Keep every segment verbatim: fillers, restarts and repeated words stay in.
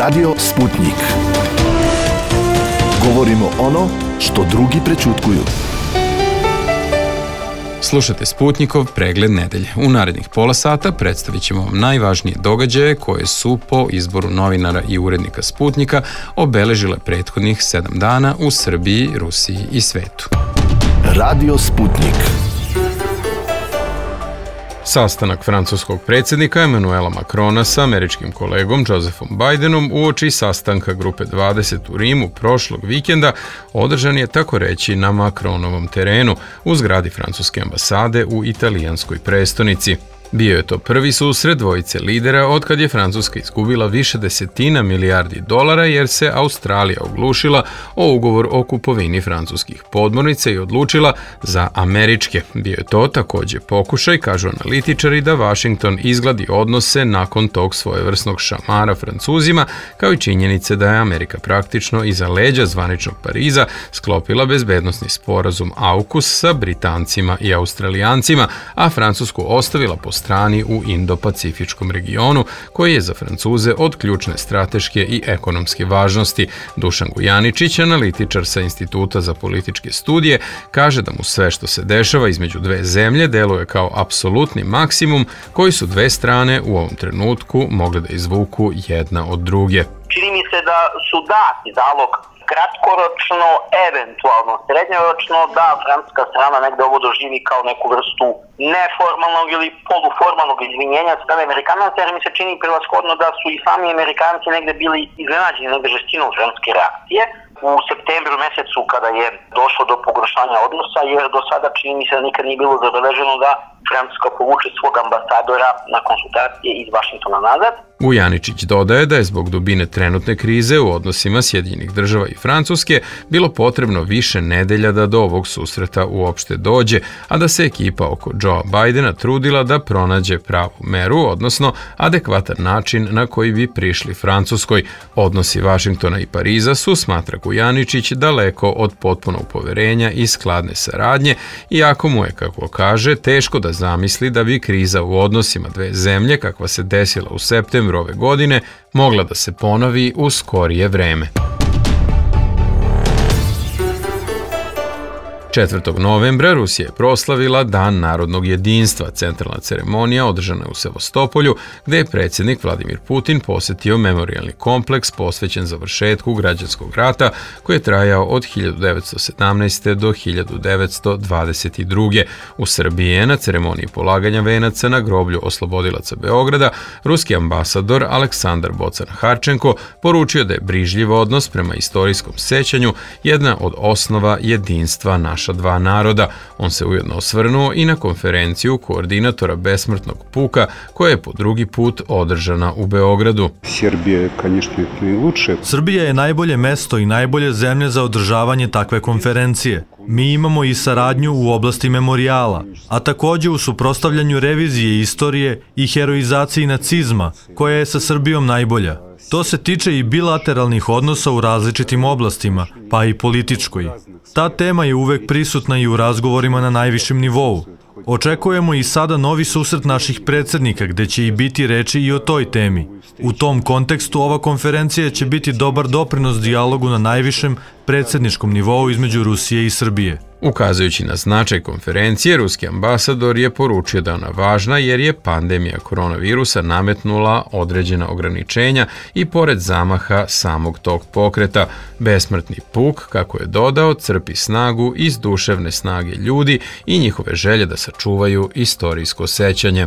Radio Sputnik. Govorimo ono što drugi prećutkuju. Slušate Sputnikov pregled nedelje. U narednih pola sata predstavit ćemo vam najvažnije događaje koje su po izboru novinara i urednika Sputnika obeležile prethodnih sedam dana u Srbiji, Rusiji i svetu. Radio Sputnik. Sastanak francuskog predsjednika Emanuela Macrona sa američkim kolegom Josephom Bidenom uoči sastanka Grupe dvadeset u Rimu prošlog vikenda održan je tako reći na Macronovom terenu u zgradi francuske ambasade u italijanskoj prestonici. Bio je to prvi susret dvojice lidera otkad je Francuska izgubila više desetina milijardi dolara jer se Australija oglušila o ugovor o kupovini francuskih podmornica i odlučila za američke. Bio je to također pokušaj, kažu analitičari, da Washington izgladi odnose nakon tog svojevrsnog šamara Francuzima, kao i činjenice da je Amerika praktično iza leđa zvaničnog Pariza sklopila bezbednosni sporazum AUKUS sa Britancima i Australijancima, a Francusku ostavila po strani u Indo-Pacifičkom regionu, koji je za Francuze od ključne strateške i ekonomske važnosti. Dušan Gujaničić, analitičar sa Instituta za političke studije, kaže da mu sve što se dešava između dve zemlje deluje kao apsolutni maksimum koji su dve strane u ovom trenutku mogle da izvuku jedna od druge. Čini mi se da su dati zalog kratkoročno, eventualno srednjoročno, da francuska strana negde ovo doživi kao neku vrstu neformalnog ili poluformalnog izvinjenja od strane Amerikanaca, jer mi se čini prevashodno da su i sami Amerikanci negde bili iznenađeni negde žestinom francuske reakcije u septembru mesecu kada je došlo do pogoršanja odnosa, jer do sada čini mi se da nikad nije bilo zabeleženo da Francuska povuče svog ambasadora na konsultacije iz Vašingtona nazad. Gujaničić dodaje da je zbog dubine trenutne krize u odnosima Sjedinjenih država i Francuske bilo potrebno više nedelja da do ovog susreta uopšte dođe, a da se ekipa oko Joea Bidena trudila da pronađe pravu meru, odnosno adekvatan način na koji bi prišli Francuskoj. Odnosi Vašingtona i Pariza su, smatra Gujaničić, daleko od potpunog poverenja i skladne saradnje, iako mu je, kako kaže, teško da zamisli da bi kriza u odnosima dve zemlje, kakva se desila u septembru ove godine, mogla da se ponovi u skorije vreme. četvrtog novembra Rusija je proslavila Dan narodnog jedinstva. Centralna ceremonija održana je u Sevastopolju, gde je predsjednik Vladimir Putin posjetio memorijalni kompleks posvećen završetku građanskog rata koji je trajao od hiljadu devetsto sedamnaeste. do hiljadu devetsto dvadeset druge. U Srbiji je na ceremoniji polaganja venaca na groblju oslobodilaca Beograda ruski ambasador Aleksandar Bocan-Harčenko poručio da je brižljiv odnos prema istorijskom sećanju jedna od osnova jedinstva naša dva naroda. On se ujedno osvrnuo i na konferenciju koordinatora besmrtnog puka koja je po drugi put održana u Beogradu. Srbija je najbolje mesto i najbolje zemlje za održavanje takve konferencije. Mi imamo i saradnju u oblasti memorijala, a također u suprotstavljanju revizije istorije i heroizaciji nacizma, koja je sa Srbijom najbolja. To se tiče i bilateralnih odnosa u različitim oblastima, pa i političkoj. Ta tema je uvek prisutna i u razgovorima na najvišem nivou. Očekujemo i sada novi susret naših predsjednika, gde će i biti reči i o toj temi. U tom kontekstu ova konferencija će biti dobar doprinos dijalogu na najvišem predsjedničkom nivou između Rusije i Srbije. Ukazujući na značaj konferencije, ruski ambasador je poručio da je ona važna jer je pandemija koronavirusa nametnula određena ograničenja i pored zamaha samog tog pokreta. Besmrtni puk, kako je dodao, crpi snagu iz duševne snage ljudi i njihove želje da sačuvaju istorijsko sećanje.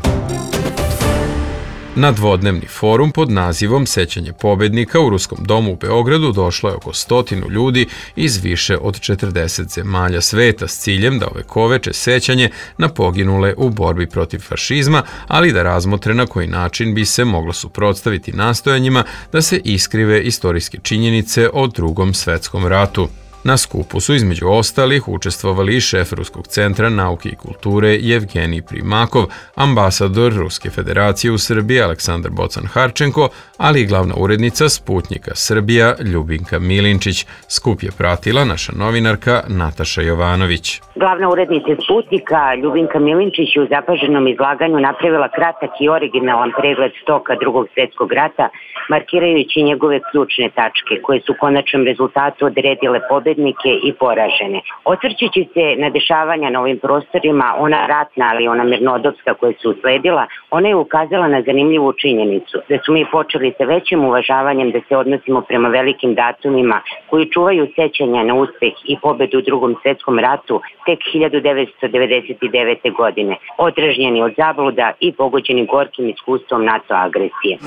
Na dvodnevni forum pod nazivom Sećanje pobednika u Ruskom domu u Beogradu došlo je oko stotinu ljudi iz više od četrdeset zemalja sveta s ciljem da ovekoveče sećanje na poginule u borbi protiv fašizma, ali da razmotre na koji način bi se moglo suprotstaviti nastojanjima da se iskrive istorijske činjenice o Drugom svetskom ratu. Na skupu su između ostalih učestvovali i šef Ruskog centra nauke i kulture Jevgenij Primakov, ambasador Ruske federacije u Srbiji Aleksandar Bocan-Harčenko, ali i glavna urednica Sputnjika Srbija Ljubinka Milinčić. Skup je pratila naša novinarka Nataša Jovanović. Glavna urednica Sputnika Ljubinka Milinčić je u zapaženom izlaganju napravila kratak i originalan pregled toka Drugog svjetskog rata, markirajući njegove ključne tačke, koje su u konačnom rezultatu odredile pobednike i poražene. Osvrćući se na dešavanja na ovim prostorima, ona ratna, ali ona mirnodopska koja su usledila, ona je ukazala na zanimljivu činjenicu, da su mi počeli sa većim uvažavanjem da se odnosimo prema velikim datumima koji čuvaju sećanja na uspeh i pobedu u Drugom svjetskom ratu tek hiljadu devetsto devedeset devete. godine, odražnjeni od zabluda i pogođeni gorkim iskustvom NATO agresije.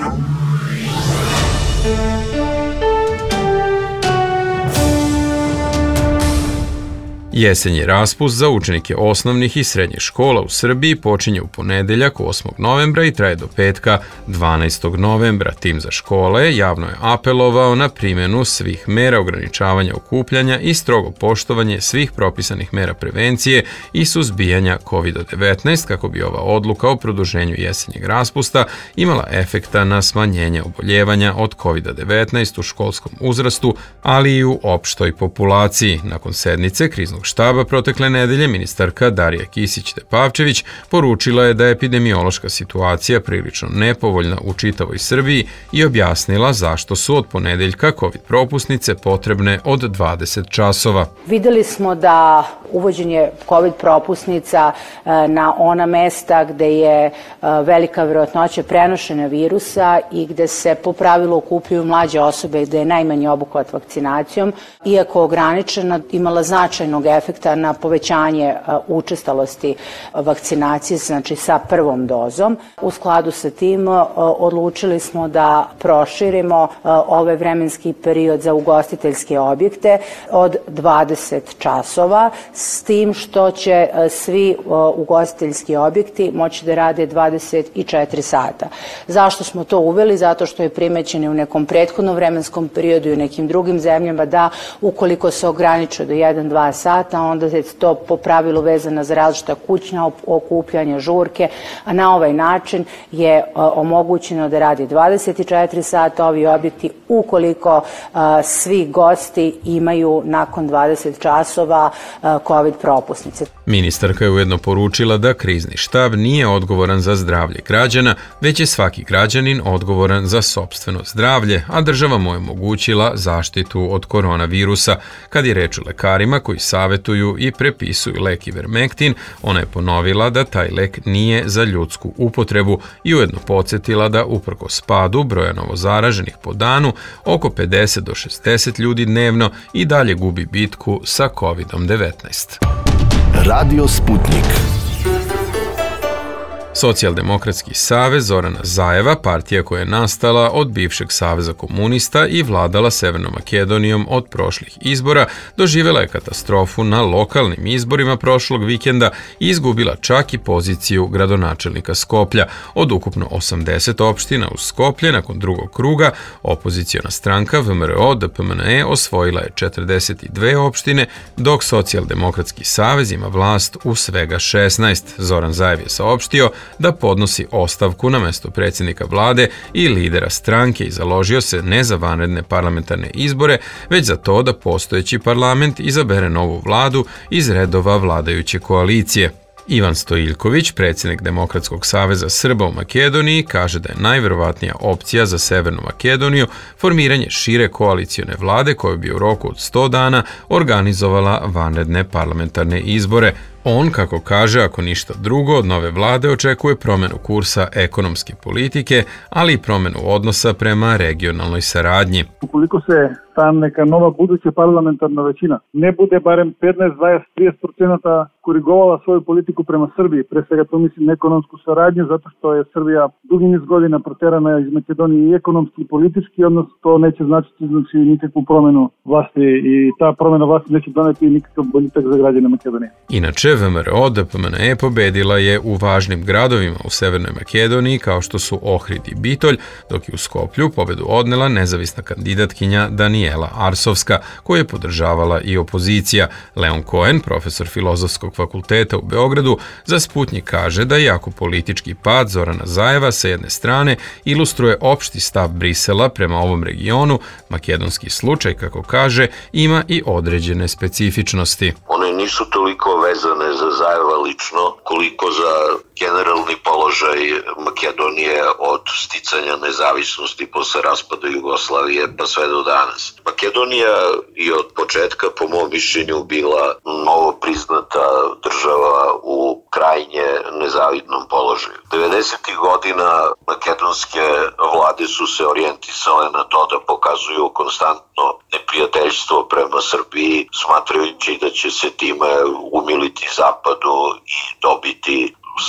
Jesenji raspust za učenike osnovnih i srednjih škola u Srbiji počinje u ponedeljak osmog novembra i traje do petka dvanaestog novembra. Tim za škole javno je apelovao na primjenu svih mera ograničavanja okupljanja i strogo poštovanje svih propisanih mera prevencije i suzbijanja kovid devetnaest kako bi ova odluka o produženju jesenjeg raspusta imala efekta na smanjenje oboljevanja od kovid devetnaest u školskom uzrastu, ali i u opštoj populaciji. Nakon sednice kriznog štaba protekle nedelje ministarka Darija Kisić-Tepavčević poručila je da je epidemiološka situacija prilično nepovoljna u čitavoj Srbiji i objasnila zašto su od ponedeljka COVID propusnice potrebne od dvadeset časova. Videli smo da uvođenje COVID propusnica na ona mesta gde je velika verovatnoća prenošenja virusa i gde se po pravilu okupljaju mlađe osobe i gde je najmanji obuhvat vakcinacijom, iako ograničena, imala značajnog efekta na povećanje učestalosti vakcinacije, znači sa prvom dozom. U skladu sa tim odlučili smo da proširimo ovaj vremenski period za ugostiteljske objekte od dvadeset časova, s tim što će svi ugostiteljski objekti moći da rade dvadeset četiri sata. Zašto smo to uveli? Zato što je primećeno u nekom prethodnom vremenskom periodu i u nekim drugim zemljama da ukoliko se ograniče do jedan do dva sata, onda je to po pravilu vezano za različita kućna okupljanja, žurke, a na ovaj način je omogućeno da radi dvadeset četiri sata ovi objekti ukoliko svi gosti imaju nakon dvadeset časova COVID propusnice. Ministarka je ujedno poručila da krizni štab nije odgovoran za zdravlje građana, već je svaki građanin odgovoran za sopstveno zdravlje, a država mu je omogućila zaštitu od koronavirusa. Kad je reč o lekarima koji savetuju i prepisuju lek Ivermektin, ona je ponovila da taj lek nije za ljudsku upotrebu i ujedno podsjetila da uprkos padu broja novozaraženih po danu, oko pedeset do šezdeset ljudi dnevno i dalje gubi bitku sa kovid devetnaest. Radio Sputnik. Socijaldemokratski savez Zorana Zajeva, partija koja je nastala od bivšeg saveza komunista i vladala Severnom Makedonijom od prošlih izbora, doživjela je katastrofu na lokalnim izborima prošlog vikenda i izgubila čak i poziciju gradonačelnika Skoplja. Od ukupno osamdeset opština u Skoplje nakon drugog kruga, opoziciona stranka V M R O D P M N E osvojila je četrdeset dve opštine, dok Socijaldemokratski savez ima vlast u svega šesnaest. Zoran Zajev je saopštio da podnosi ostavku na mesto predsjednika vlade i lidera stranke i založio se ne za vanredne parlamentarne izbore, već za to da postojeći parlament izabere novu vladu iz redova vladajuće koalicije. Ivan Stojiljković, predsjednik Demokratskog saveza Srba u Makedoniji, kaže da je najverovatnija opcija za Severnu Makedoniju formiranje šire koalicione vlade koja bi u roku od sto dana organizovala vanredne parlamentarne izbore. On, kako kaže, ako ništa drugo, od nove vlade očekuje promjenu kursa ekonomske politike, ali i promjenu odnosa prema regionalnoj saradnji. Ukoliko se ta neka nova buduća parlamentarna većina ne bude barem petnaest, dvadeset, trideset procenata korigovala svoju politiku prema Srbiji, pre svega to mislim na ekonomsku saradnju, zato što je Srbija dugi niz godina proterana iz Makedonije i ekonomski i politički, odnosno to neće značiti znači nikakvu promjenu vlasti i ta promjena vlasti neće doneti nikakav boljitak za građane Makedonije. Inače, V M R O D P M N E pobedila je u važnim gradovima u Severnoj Makedoniji kao što su Ohrid i Bitolj, dok je u Skoplju pobedu odnela nezavisna kandidatkinja Danijela Arsovska, koju je podržavala i opozicija. Leon Cohen, profesor Filozofskog fakulteta u Beogradu, za Sputnjik kaže da iako politički pad Zorana Zajeva sa jedne strane ilustruje opšti stav Brisela prema ovom regionu, makedonski slučaj, kako kaže, ima i određene specifičnosti. One nisu toliko vezane za Zajeva lično, koliko za generalni položaj Makedonije od sticanja nezavisnosti posle raspada Jugoslavije pa sve do danas. Makedonija i od početka, po mom mišljenju, bila novo priznata država u krajnje nezavidnom položaju. devedesetih godina makedonske vlade su se orijentisale na to da pokazuju konstantno neprijateljstvo prema Srbiji, smatrajući da će se time umiliti Zapadu i dobiti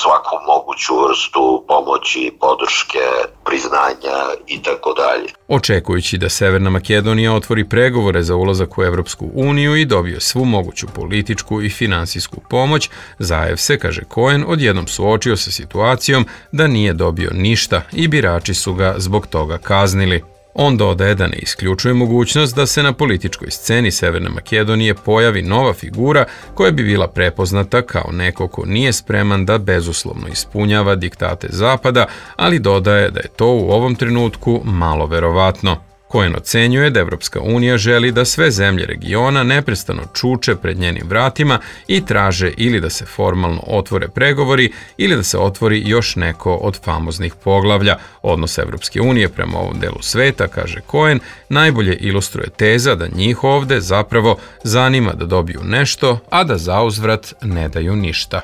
svaku moguću vrstu pomoći, podrške, priznanja i tako dalje. Očekujući da Severna Makedonija otvori pregovore za ulazak u Evropsku uniju i dobije svu moguću političku i finansijsku pomoć, Zajev se, kaže Cohen, odjednom suočio sa situacijom da nije dobio ništa i birači su ga zbog toga kaznili. On dodaje da ne isključuje mogućnost da se na političkoj sceni Severne Makedonije pojavi nova figura koja bi bila prepoznata kao neko ko nije spreman da bezuslovno ispunjava diktate Zapada, ali dodaje da je to u ovom trenutku malo verovatno. Cohen ocenjuje da Evropska unija želi da sve zemlje regiona neprestano čuče pred njenim vratima i traže ili da se formalno otvore pregovori ili da se otvori još neko od famoznih poglavlja. Odnos Evropske unije prema ovom delu sveta, kaže Cohen, najbolje ilustruje teza da njih ovde zapravo zanima da dobiju nešto, a da zauzvrat ne daju ništa.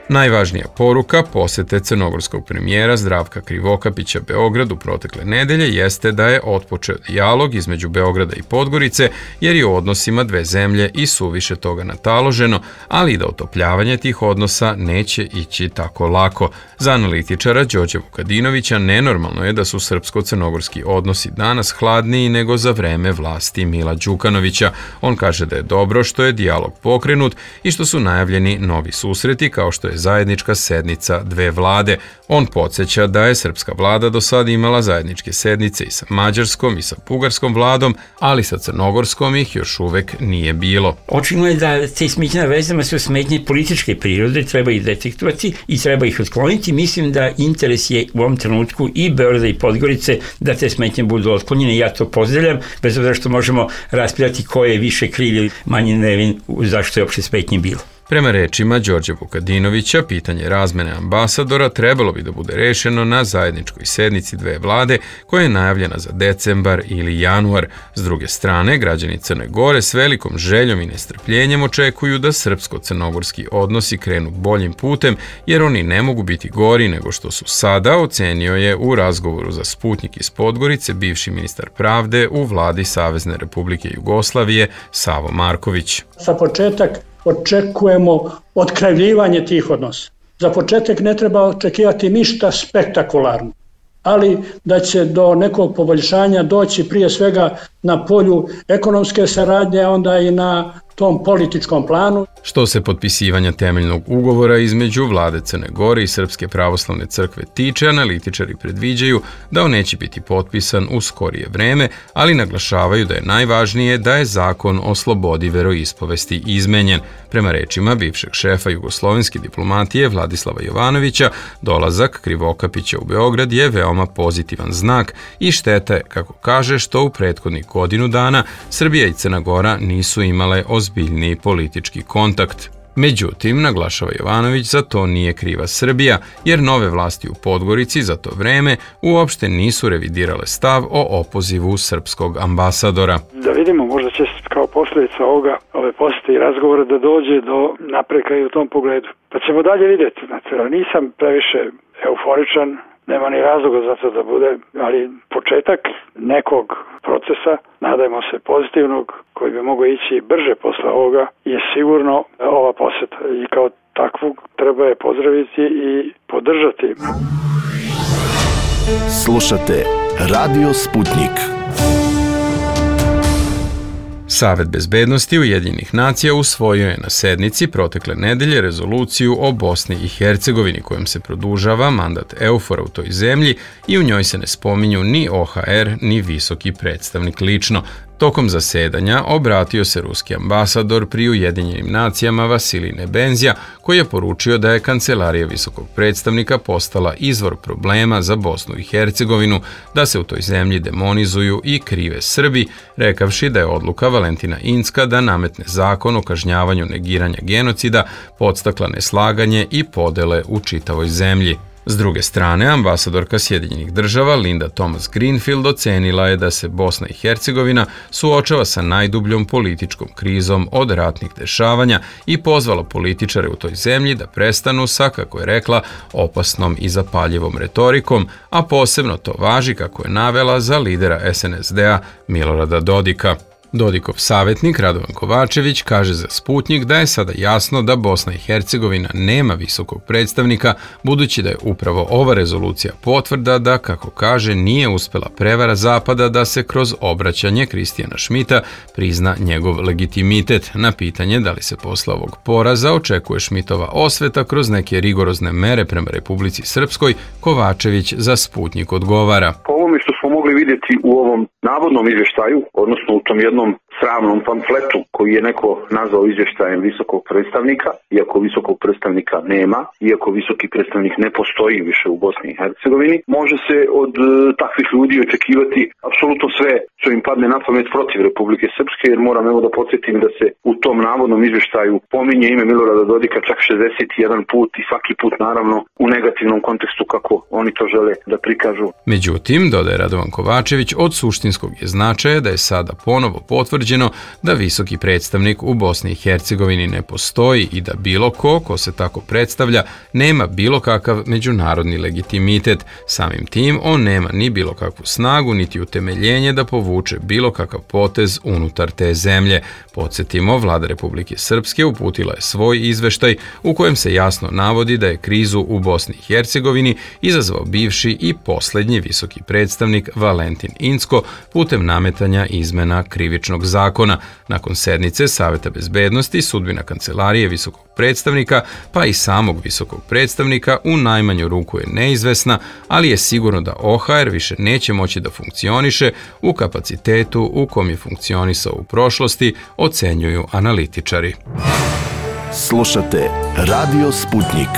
Najvažnija poruka posete crnogorskog premijera Zdravka Krivokapića Beogradu protekle nedelje jeste da je otpočeo dijalog između Beograda i Podgorice, jer je u odnosima dve zemlje i suviše toga nataloženo, ali i da otopljavanje tih odnosa neće ići tako lako. Za analitičara Đorđa Vukadinovića nenormalno je da su srpsko-crnogorski odnosi danas hladniji nego za vreme vlasti Mila Đukanovića. On kaže da je dobro što je dijalog pokrenut i što su najavljeni novi susreti kao što je zajednička sednica dve vlade. On podsjeća da je srpska vlada do sada imala zajedničke sednice i sa mađarskom i sa bugarskom vladom, ali sa crnogorskom ih još uvek nije bilo. Očigledno je da te smetnje na vezama su smetnje političke prirode, treba ih detektovati i treba ih otkloniti. Mislim da interes je u ovom trenutku i Beograda i Podgorice da te smetnje budu otklonjene. Ja to pozdravljam, bez obzira što možemo raspravljati ko je više kriv ili manje nevin zašto je uopšte smetnje bilo. Prema rečima Đorđa Vukadinovića, pitanje razmene ambasadora trebalo bi da bude rešeno na zajedničkoj sednici dve vlade koja je najavljena za decembar ili januar. S druge strane, građani Crne Gore s velikom željom i nestrpljenjem očekuju da srpsko-crnogorski odnosi krenu boljim putem, jer oni ne mogu biti gori nego što su sada, ocenio je u razgovoru za Sputnjik iz Podgorice bivši ministar pravde u vladi Savezne Republike Jugoslavije Savo Marković. Za početak očekujemo otkrivljivanje tih odnosa. Za početak ne treba očekivati ništa spektakularno, ali da će do nekog poboljšanja doći prije svega na polju ekonomske saradnje, a onda i na tom političkom planu. Što se potpisivanja temeljnog ugovora između vlade Crne Gore i Srpske pravoslavne crkve tiče, analitičari predviđaju da on neće biti potpisan u skorije vreme, ali naglašavaju da je najvažnije da je zakon o slobodi veroispovesti izmenjen. Prema rečima bivšeg šefa jugoslovenske diplomatije Vladislava Jovanovića, dolazak Krivokapića u Beograd je veoma pozitivan znak i šteta je, kako kaže, što u prethodnih godinu dana Srbija i Crna Gora nisu imale ozbiljniji politički kontakt. Međutim, naglašava Jovanović, za to nije kriva Srbija, jer nove vlasti u Podgorici za to vreme uopšte nisu revidirale stav o opozivu srpskog ambasadora. Da vidimo, možda će kao posljedica ovoga, ove posete i razgovore da dođe do napreka i u tom pogledu. Pa ćemo dalje vidjeti. Znači, nisam previše euforičan, nema ni razloga za to da bude, ali početak nekog procesa, nadajmo se pozitivnog, koji bi mogao ići brže posle ovoga, je sigurno ova poseta. I kao takvu treba je pozdraviti i podržati. Slušate Radio Sputnik. Savet bezbednosti Ujedinjenih nacija usvojio je na sednici protekle nedelje rezoluciju o Bosni i Hercegovini kojom se produžava mandat EUFOR-a u toj zemlji i u njoj se ne spominju ni O H R ni visoki predstavnik lično. Tokom zasedanja obratio se ruski ambasador pri Ujedinjenim nacijama Vasilij Nebenzija, koji je poručio da je kancelarija visokog predstavnika postala izvor problema za Bosnu i Hercegovinu, da se u toj zemlji demonizuju i krive Srbi, rekavši da je odluka Valentina Incka da nametne zakon o kažnjavanju negiranja genocida podstakla neslaganje i podele u čitavoj zemlji. S druge strane, ambasadorka Sjedinjenih država Linda Thomas Greenfield ocenila je da se Bosna i Hercegovina suočava sa najdubljom političkom krizom od ratnih dešavanja i pozvala političare u toj zemlji da prestanu sa, kako je rekla, opasnom i zapaljivom retorikom, a posebno to važi, kako je navela, za lidera S N S D-a Milorada Dodika. Dodikov savjetnik Radovan Kovačević kaže za Sputnjik da je sada jasno da Bosna i Hercegovina nema visokog predstavnika, budući da je upravo ova rezolucija potvrda da, kako kaže, nije uspela prevara Zapada da se kroz obraćanje Kristijana Šmita prizna njegov legitimitet. Na pitanje da li se posle ovog poraza očekuje Šmitova osveta kroz neke rigorozne mere prema Republici Srpskoj, Kovačević za Sputnjik odgovara. Po ovome što smo mogli vidjeti u ovom navodnom izvještaju, odnosno u tom jednom sramnom pamfletu koji je neko nazvao izvještajem visokog predstavnika, iako visokog predstavnika nema, iako visoki predstavnik ne postoji više u Bosni i Hercegovini, može se od e, takvih ljudi očekivati apsolutno sve što im padne na pamet protiv Republike Srpske, jer moram evo da podsjetim da se u tom navodnom izvještaju pominje ime Milorada Dodika čak šezdeset jedan put i svaki put naravno u negativnom kontekstu kako oni to žele da prikažu. Međutim, dodaje Radovan Kovačević, od suštinskog je značaja da je sada ponovo potvrđeno da visoki predstavnik u Bosni i Hercegovini ne postoji i da bilo ko, ko se tako predstavlja, nema bilo kakav međunarodni legitimitet. Samim tim, on nema ni bilo kakvu snagu, niti utemeljenje da povuče bilo kakav potez unutar te zemlje. Podsjetimo, vlada Republike Srpske uputila je svoj izveštaj u kojem se jasno navodi da je krizu u Bosni i Hercegovini izazvao bivši i posljednji visoki predstavnik Valentin Incko putem nametanja izmena krivičnog zakona. Nakon sednice Saveta bezbednosti, sudbina kancelarije visokog predstavnika, pa i samog visokog predstavnika u najmanju ruku je neizvesna, ali je sigurno da O H R više neće moći da funkcioniše u kapacitetu u kom je funkcionisao u prošlosti, ocenjuju analitičari. Slušate Radio Sputnjik.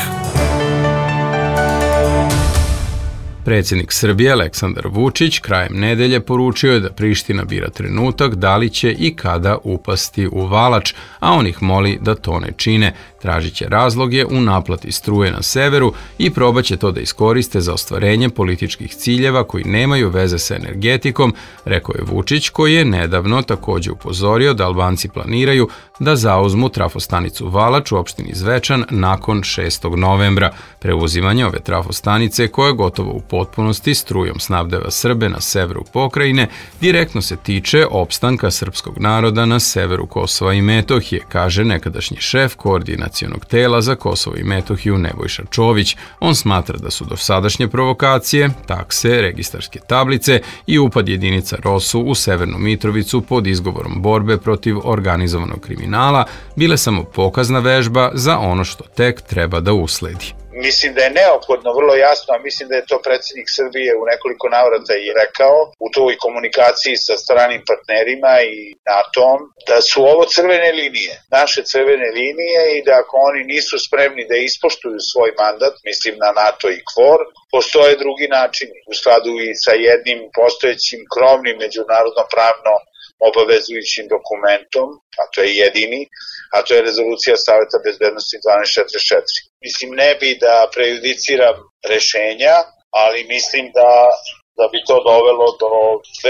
Predsjednik Srbije Aleksandar Vučić krajem nedelje poručio je da Priština bira trenutak da li će i kada upasti u Valač, a on ih moli da to ne čine. Tražit će razloge u naplati struje na severu i probat će to da iskoriste za ostvarenje političkih ciljeva koji nemaju veze sa energetikom, rekao je Vučić, koji je nedavno također upozorio da Albanci planiraju da zauzmu trafostanicu Valač u opštini Zvečan nakon šestog novembra. Preuzimanje ove trafostanice, koja gotovo u potpunosti strujom snabdeva Srbe na severu pokrajine, direktno se tiče opstanka srpskog naroda na severu Kosova i Metohije, kaže nekadašnji šef koordinacionog tela za Kosovo i Metohiju Nebojša Čović. On smatra da su dosadašnje provokacije, takse, registarske tablice i upad jedinica ROSU u Severnu Mitrovicu pod izgovorom borbe protiv organizovanog kriminala bile samo pokazna vežba za ono što tek treba da usledi. Mislim da je neophodno, vrlo jasno, a mislim da je to predsjednik Srbije u nekoliko navrata i rekao u toj komunikaciji sa stranim partnerima i NATO-om, da su ovo crvene linije, naše crvene linije, i da ako oni nisu spremni da ispoštuju svoj mandat, mislim na NATO i KFOR, postoje drugi načini u skladu i sa jednim postojećim krovnim međunarodno pravno obavezujućim dokumentom, a to je jedini, a to je rezolucija Saveta bezbednosti dvanaest četrdeset četiri. Mislim, ne bi da prejudiciram rešenja, ali mislim da, da bi to dovelo do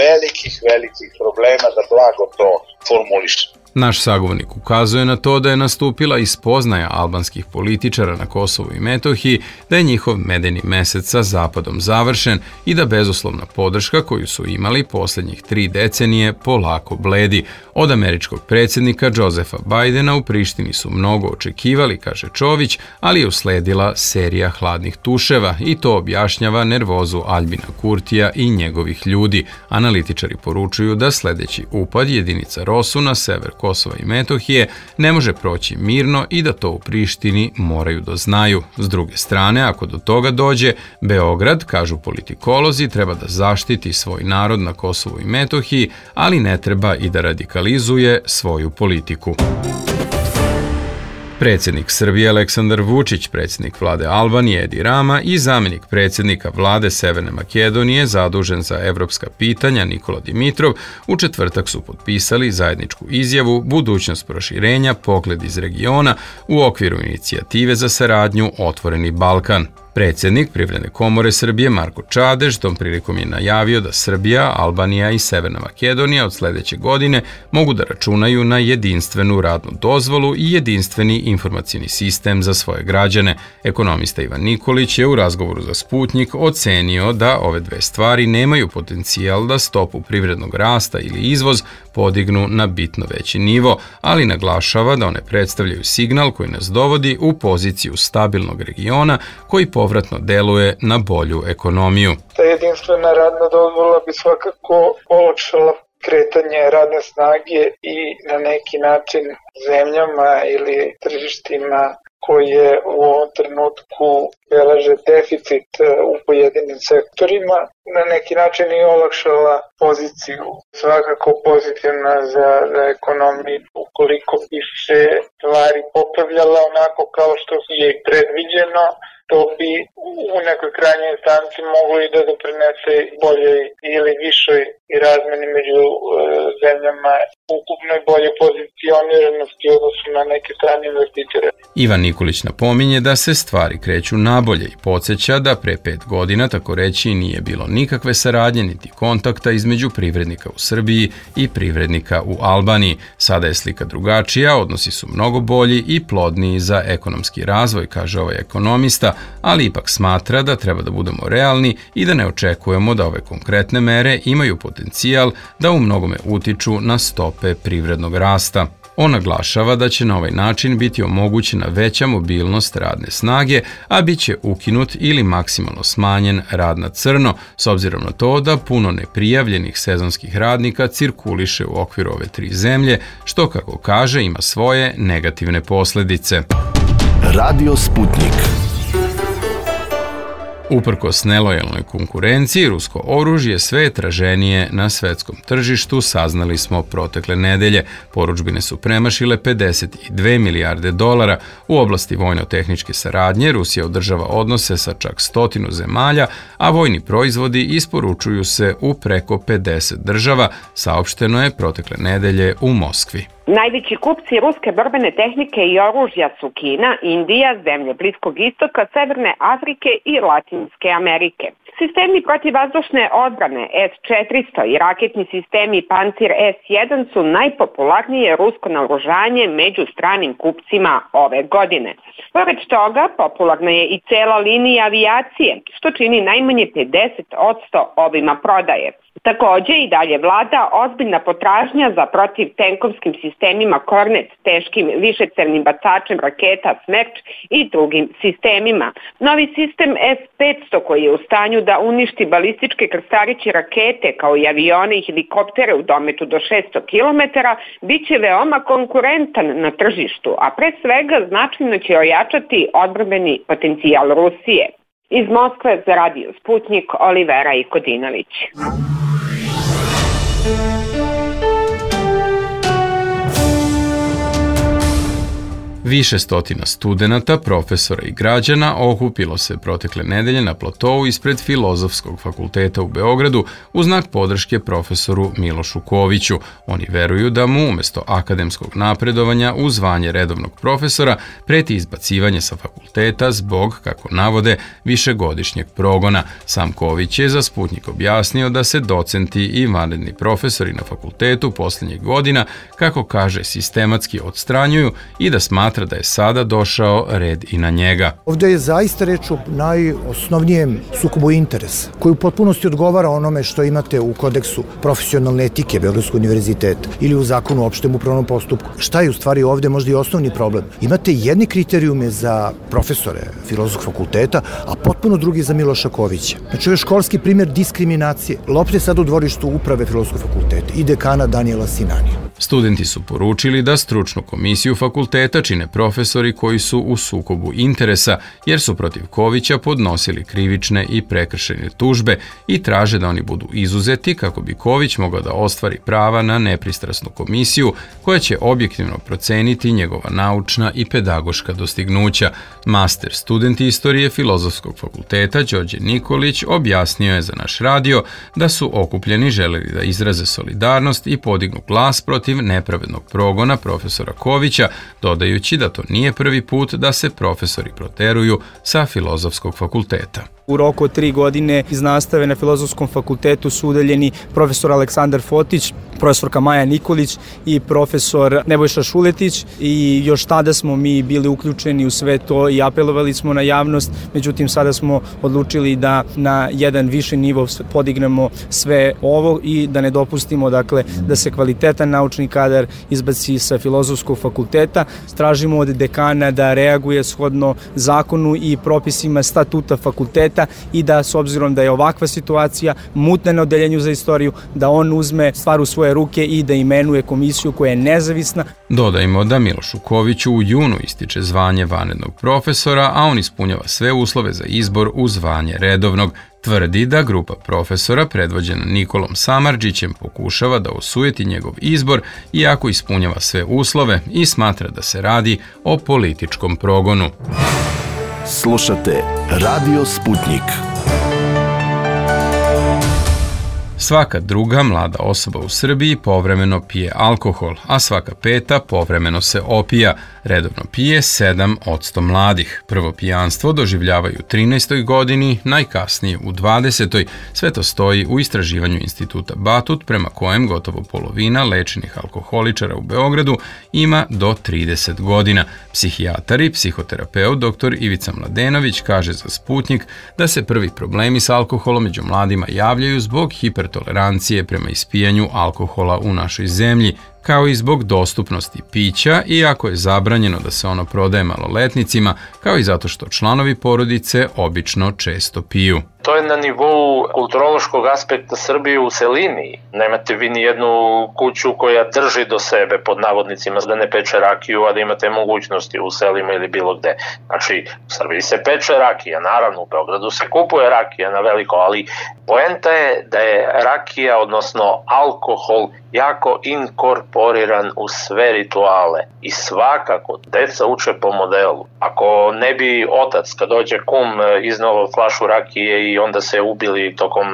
velikih, velikih problema, da blago to formulišem. Naš sagovornik ukazuje na to da je nastupila i spoznaja albanskih političara na Kosovu i Metohiji da je njihov medeni mesec sa Zapadom završen i da bezuslovna podrška koju su imali posljednjih tri decenije polako bledi. Od američkog predsjednika Josefa Bajdena u Prištini su mnogo očekivali, kaže Čović, ali je usledila serija hladnih tuševa i to objašnjava nervozu Aljbina Kurtija i njegovih ljudi. Analitičari poručuju da sljedeći upad jedinica Rosu na sever Kosova i Metohije ne može proći mirno i da to u Prištini moraju da znaju. S druge strane, ako do toga dođe, Beograd, kažu politikolozi, treba da zaštiti svoj narod na Kosovu i Metohiji, ali ne treba i da radikalizuje svoju politiku. Predsjednik Srbije Aleksandar Vučić, predsjednik vlade Albanije Edi Rama i zamjenik predsjednika vlade Severne Makedonije zadužen za evropska pitanja Nikola Dimitrov u četvrtak su potpisali zajedničku izjavu Budućnost proširenja, pogled iz regiona u okviru inicijative za saradnju Otvoreni Balkan. Predsjednik Privredne komore Srbije Marko Čadež tom prilikom je najavio da Srbija, Albanija i Severna Makedonija od sljedeće godine mogu da računaju na jedinstvenu radnu dozvolu i jedinstveni informacijni sistem za svoje građane. Ekonomista Ivan Nikolić je u razgovoru za Sputnjik ocenio da ove dve stvari nemaju potencijal da stopu privrednog rasta ili izvoz podignu na bitno veći nivo, ali naglašava da one predstavljaju signal koji nas dovodi u poziciju stabilnog regiona koji povratno deluje na bolju ekonomiju. Ta jedinstvena radna dozvola bi svakako olakšala kretanje radne snage i na neki način zemljama ili tržištima koje u ovom trenutku beleže deficit u pojedinim sektorima, na neki način i olakšala poziciju. Svakako pozitivna za, za ekonomiju, ukoliko bi se stvari popravljala onako kao što je predviđeno, to bi u nekoj krajnjoj instanci moglo i da doprinese boljoj ili višoj i razmeni među e, zemljama, ukupnoj bolje pozicioniranosti u odnosu na neke strane investitore. Ivan Nikolić napominje da se stvari kreću nabolje i podsjeća da pre pet godina, tako reći, nije bilo nikakve saradnje niti kontakta između privrednika u Srbiji i privrednika u Albaniji. Sada je slika drugačija, odnosi su mnogo bolji i plodniji za ekonomski razvoj, kaže ovaj ekonomista, ali ipak smatra da treba da budemo realni i da ne očekujemo da ove konkretne mere imaju potencijal da u mnogome utiču na stope privrednog rasta. On naglašava da će na ovaj način biti omogućena veća mobilnost radne snage, a bit će ukinut ili maksimalno smanjen rad na crno, s obzirom na to da puno neprijavljenih sezonskih radnika cirkuliše u okviru ove tri zemlje, što, kako kaže, ima svoje negativne posljedice. Radio Sputnik. Uprkos nelojalnoj konkurenciji, rusko oružje sve je traženije na svetskom tržištu, saznali smo protekle nedelje. Poručbine su premašile pedeset dve milijarde dolara. U oblasti vojno-tehničke saradnje Rusija održava odnose sa čak stotinu zemalja, a vojni proizvodi isporučuju se u preko pedeset država, saopšteno je protekle nedelje u Moskvi. Najveći kupci ruske borbene tehnike i oružja su Kina, Indija, zemlje Bliskog istoka, Severne Afrike i Latinske Amerike. Sistemi protivvazdušne odbrane S četiristo i raketni sistemi Pancir S jedan su najpopularnije rusko naoružanje među stranim kupcima ove godine. Pored toga, popularna je i cela linija avijacije, što čini najmanje pedeset posto obima prodaje. Takođe i dalje vlada ozbiljna potražnja za protivtenkovskim sistemima Kornet, teškim višecevnim bacačem raketa Smerč i drugim sistemima. Novi sistem S petsto koji je u stanju da uništi balističke krstariće rakete kao i avione i helikoptere u dometu do šesto kilometara bit će veoma konkurentan na tržištu, a pre svega značajno će ojačati odbrambeni potencijal Rusije. Iz Moskve za Radio Sputnik, Olivera Ikodinović. Više stotina studenata, profesora i građana okupilo se protekle nedelje na platou ispred Filozofskog fakulteta u Beogradu u znak podrške profesoru Milošu Koviću. Oni veruju da mu umesto akademskog napredovanja u zvanje redovnog profesora preti izbacivanje sa fakulteta zbog, kako navode, višegodišnjeg progona. Sam Ković je za Sputnik objasnio da se docenti i vanredni profesori na fakultetu posljednjih godina, kako kaže, sistematski odstranjuju i da smatra da je sada došao red i na njega. Ovdje je zaista reč o najosnovnijem sukobu interesa, koji u potpunosti odgovara onome što imate u kodeksu profesionalne etike Beogradskog univerziteta ili u zakonu o opštem upravnom postupku. Šta je u stvari ovdje možda i osnovni problem? Imate jedni kriterijume za profesore Filozofskog fakulteta, a potpuno drugi za Miloša Kovića. Znači, ovo je školski primjer diskriminacije. Lopta je sad u dvorištu uprave Filozofskog fakulteta i dekana Danijela Sinanija. Studenti su poručili da stručnu komisiju fakulteta čine profesori koji su u sukobu interesa, jer su protiv Kovića podnosili krivične i prekršajne tužbe i traže da oni budu izuzeti kako bi Ković mogao da ostvari prava na nepristrasnu komisiju koja će objektivno proceniti njegova naučna i pedagoška dostignuća. Master student istorije Filozofskog fakulteta Đorđe Nikolić objasnio je za naš radio da su okupljeni želeli da izraze solidarnost i podignu glas protiv nepravednog progona profesora Kovića, dodajući da to nije prvi put da se profesori proteruju sa Filozofskog fakulteta. U roku od tri godine iz nastave na Filozofskom fakultetu su udaljeni profesor Aleksandar Fotić, profesorka Maja Nikolić i profesor Nebojša Šuletić, i još tada smo mi bili uključeni u sve to i apelovali smo na javnost, međutim sada smo odlučili da na jedan viši nivo podignemo sve ovo i da ne dopustimo, dakle, da se kvalitetan naučni kadar izbaci sa Filozofskog fakulteta. Tražimo od dekana da reaguje shodno zakonu i propisima statuta fakulteta i da, s obzirom da je ovakva situacija mutna na odeljenju za istoriju, da on uzme stvar u svoje ruke i da imenuje komisiju koja je nezavisna. Dodajmo da Milošu Koviću u junu ističe zvanje vanrednog profesora, a on ispunjava sve uslove za izbor u zvanje redovnog. Tvrdi da grupa profesora predvođena Nikolom Samardžićem pokušava da osujeti njegov izbor iako ispunjava sve uslove i smatra da se radi o političkom progonu. Slušate Radio Sputnik. Svaka druga mlada osoba u Srbiji povremeno pije alkohol, a svaka peta povremeno se opija. Redovno pije sedam posto mladih. Prvo pijanstvo doživljavaju u trinaestoj godini, najkasnije u dvadesetoj. Sve to stoji u istraživanju Instituta Batut, prema kojem gotovo polovina lečenih alkoholičara u Beogradu ima do trideset godina. Psihijatar i psihoterapeut dr Ivica Mladenović kaže za Sputnik da se prvi problemi s alkoholom među mladima javljaju zbog hipertolerancije prema ispijanju alkohola u našoj zemlji, kao i zbog dostupnosti pića, iako je zabranjeno da se ono prodaje maloletnicima, kao i zato što članovi porodice obično često piju. To je na nivou kulturološkog aspekta Srbije u celini. Nemate vi ni jednu kuću koja drži do sebe, pod navodnicima, da ne peče rakiju, a da imate mogućnosti u selima ili bilo gde. Znači, u Srbiji se peče rakija, naravno u Beogradu se kupuje rakija na veliko, ali poenta je da je rakija, odnosno alkohol, jako inkorporiran u sve rituale i svakako deca uče po modelu. Ako ne bi otac, kad dođe kum, iznao flašu rakije i onda se ubili tokom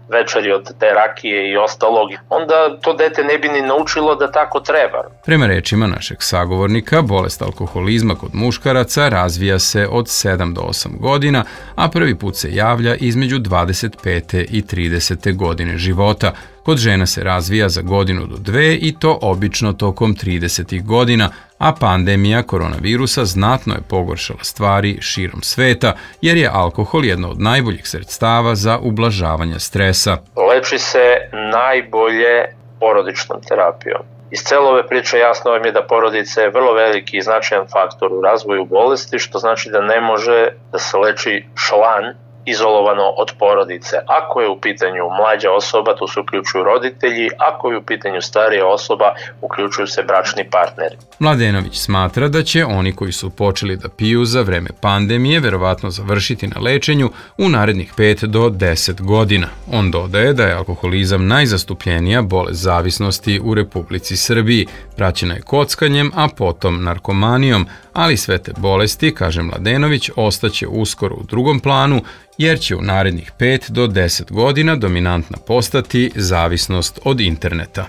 večeri od te rakije i ostalog, onda to dete ne bi ni naučilo da tako treba. Prema rečima našeg sagovornika, bolest alkoholizma kod muškaraca razvija se od sedam do osam godina, a prvi put se javlja između dvadeset pete i tridesete godine života. Kod žena se razvija za godinu do dve i to obično tokom tridesetih godina, a pandemija koronavirusa znatno je pogoršala stvari širom sveta, jer je alkohol jedno od najboljih sredstava za ublažavanje stresa. Leči se najbolje porodičnom terapijom. Iz cele ove priče jasno vam je da porodica je vrlo veliki i značajan faktor u razvoju bolesti, što znači da ne može da se leči šlan izolovano od porodice. Ako je u pitanju mlađa osoba, tu se uključuju roditelji, ako je u pitanju starija osoba, uključuju se bračni partneri. Mladenović smatra da će oni koji su počeli da piju za vreme pandemije verovatno završiti na lečenju u narednih pet do deset godina. On dodaje da je alkoholizam najzastupljenija bolest zavisnosti u Republici Srbiji, praćena je kockanjem, a potom narkomanijom, ali sve te bolesti, kaže Mladenović, ostaće uskoro u drugom planu, jer će u narednih pet do deset godina dominantna postati zavisnost od interneta.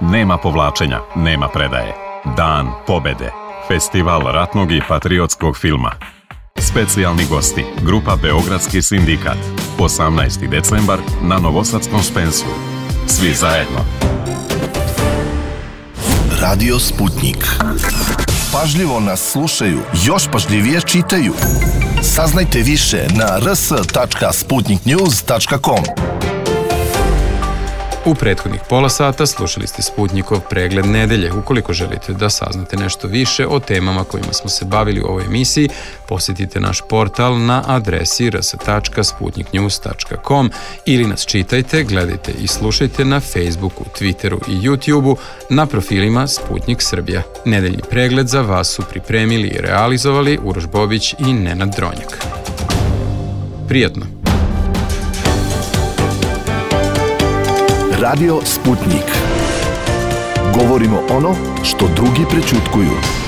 Nema povlačenja, nema predaje. Dan pobede. Festival ratnog i patriotskog filma. Specijalni gosti, grupa Beogradski sindikat. osamnaesti decembar na Novosadskom Spensu. Svi zajedno. Radio Sputnik. Pažljivo nas slušaju, još pažljivije čitaju. Saznajte više na r s tačka sputnik news tačka com. U prethodnih pola sata slušali ste Sputnikov pregled nedelje. Ukoliko želite da saznate nešto više o temama kojima smo se bavili u ovoj emisiji, posjetite naš portal na adresi r s tačka sputnik news tačka com ili nas čitajte, gledajte i slušajte na Facebooku, Twitteru i YouTubeu na profilima Sputnik Srbija. Nedeljni pregled za vas su pripremili i realizovali Uroš Bobić i Nenad Dronjak. Prijatno! Radio Sputnik. Govorimo ono što drugi prećutkuju.